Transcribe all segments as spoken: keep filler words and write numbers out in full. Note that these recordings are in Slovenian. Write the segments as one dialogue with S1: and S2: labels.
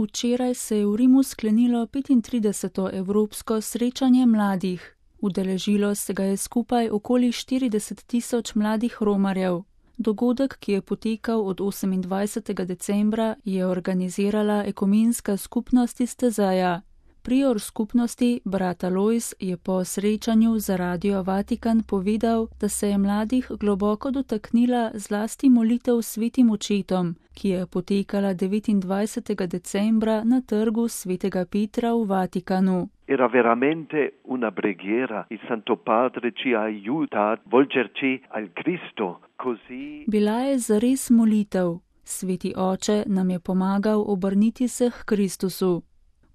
S1: Včeraj se je v Rimu sklenilo petintrideseto evropsko srečanje mladih. Udeležilo se ga je skupaj okoli štirideset tisoč mladih romarjev. Dogodek, ki je potekal od osemindvajsetega decembra, je organizirala ekumenska skupnost iz Tezeja. Prior skupnosti, brat Alojz, je po srečanju za Radio Vatikan povedal, da se je mladih globoko dotaknila zlasti molitev svetim očetom, ki je potekala devetindvajsetega decembra na trgu svetega Petra v Vatikanu.
S2: Era veramente una preghiera. Il Santo Padre ci ha aiutato a volgerci al Cristo, così.
S1: Bila je zares molitev. Sveti oče nam je pomagal obrniti se k Kristusu.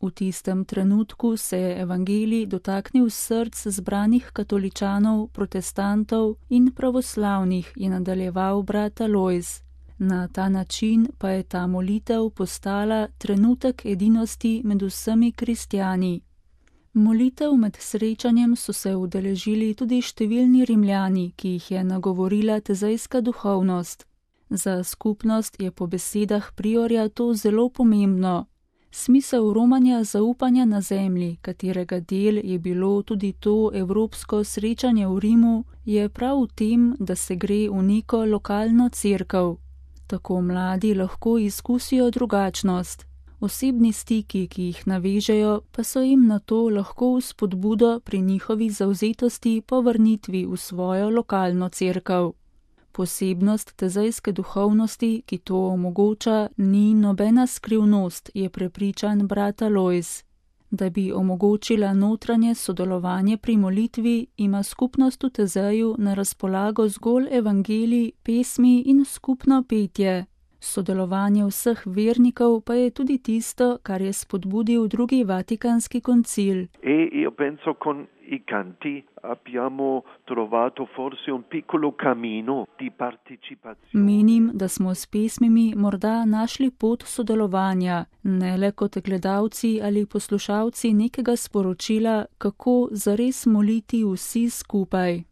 S1: V tistem trenutku se je evangelij dotaknil src zbranih katoličanov, protestantov in pravoslavnih, je nadaljeval brat Alojz. Na ta način pa je ta molitev postala trenutek edinosti med vsemi kristjani. Molitev med srečanjem so se udeležili tudi številni Rimljani, ki jih je nagovorila tezejska duhovnost. Za skupnost je po besedah priorja to zelo pomembno. Smisel romanja zaupanja na zemlji, katerega del je bilo tudi to evropsko srečanje v Rimu, je prav v tem, da se gre v neko lokalno cerkev. Tako mladi lahko izkusijo drugačnost. Osebni stiki, ki jih navežejo, pa so jim na to lahko vzpodbudo pri njihovi zavzetosti po vrnitvi v svojo lokalno cerkev. Posebnost tezejske duhovnosti, ki to omogoča, ni nobena skrivnost, je prepričan brat Alojz. Da bi omogočila notranje sodelovanje pri molitvi, ima skupnost v Tezeju na razpolago zgolj evangelij, pesmi in skupno petje. Sodelovanje vseh vernikov pa je tudi tisto, kar je spodbudil drugi vatikanski koncil.
S2: E io penso con i canti abbiamo trovato forse un piccolo cammino di partecipazione.
S1: Menim, da smo s pesmimi morda našli pot sodelovanja, ne le kot gledalci ali poslušalci nekega sporočila, kako zares moliti vsi skupaj.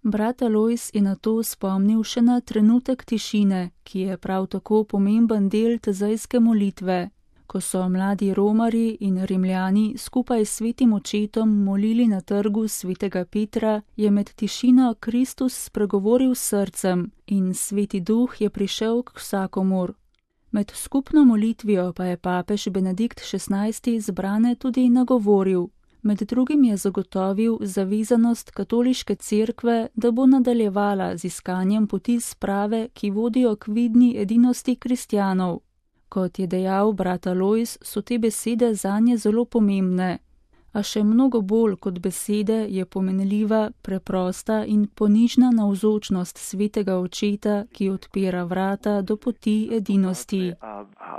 S1: Brat Alojz je na to spomnil še na trenutek tišine, ki je prav tako pomemben del tezejske molitve. Ko so mladi romarji in Rimljani skupaj s svetim očetom molili na trgu svetega Petra, je med tišino Kristus spregovoril s srcem in sveti duh je prišel k vsakomur. Med skupno molitvijo pa je papež Benedikt šestnajsti zbrane tudi nagovoril. Med drugim je zagotovil zavezanost katoliške cerkve, da bo nadaljevala z iskanjem poti sprave, ki vodijo k vidni edinosti kristjanov. Kot je dejal brat Alojz, so te besede zanje zelo pomembne. A še mnogo bolj kot besede je pomenljiva, preprosta in ponižna navzočnost svetega očeta, ki odpira vrata do poti edinosti.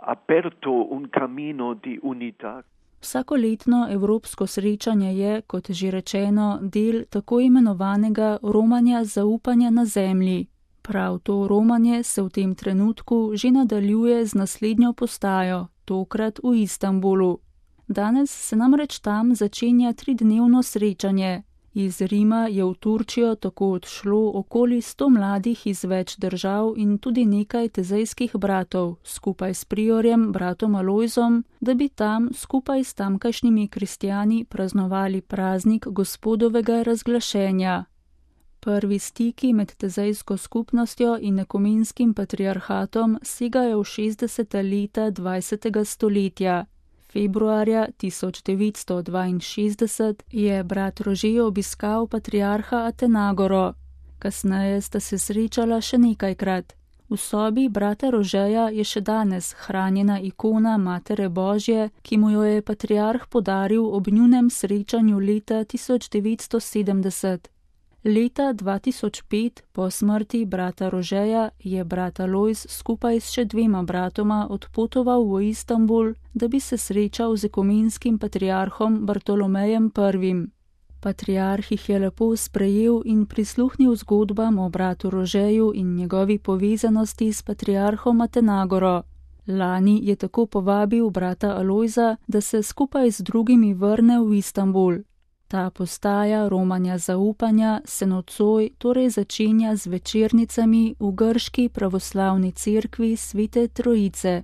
S2: Aperto un cammino di unità.
S1: Vsakoletno evropsko srečanje je, kot že rečeno, del tako imenovanega romanja zaupanja na zemlji. Prav to romanje se v tem trenutku že nadaljuje z naslednjo postajo, tokrat v Istanbulu. Danes se namreč tam začenja tridnevno srečanje. Iz Rima je v Turčijo tako odšlo okoli sto mladih iz več držav in tudi nekaj tezejskih bratov, skupaj s priorjem bratom Alojzom, da bi tam skupaj s tamkajšnjimi kristjani praznovali praznik Gospodovega razglašenja. Prvi stiki med tezejsko skupnostjo in ekumenskim patriarhatom segajo v šestdeseta leta dvajsetega stoletja. Februarja tisoč devetsto dvainšestdeset je brat Rože obiskal patriarha Atenagoro. Kasneje sta se srečala še nekajkrat. V sobi brata Rožeja je še danes hranjena ikona Matere Božje, ki mu jo je patriarh podaril ob njunem srečanju leta tisoč devetsto sedemdeset. Leta dva tisoč pet, po smrti brata Rožeja, je brat Alojz skupaj s še dvema bratoma odpotoval v Istanbul, da bi se srečal z ekumenskim patriarhom Bartolomejem prvim. Patriarh jih je lepo sprejel in prisluhnil zgodbam o bratu Rožeju in njegovi povezanosti s patriarhom Atenagoro. Lani je tako povabil brata Alojza, da se skupaj z drugimi vrne v Istanbul. Ta postaja romanja zaupanja se nocoj torej začenja z večernicami v grški pravoslavni cerkvi Svete Trojice.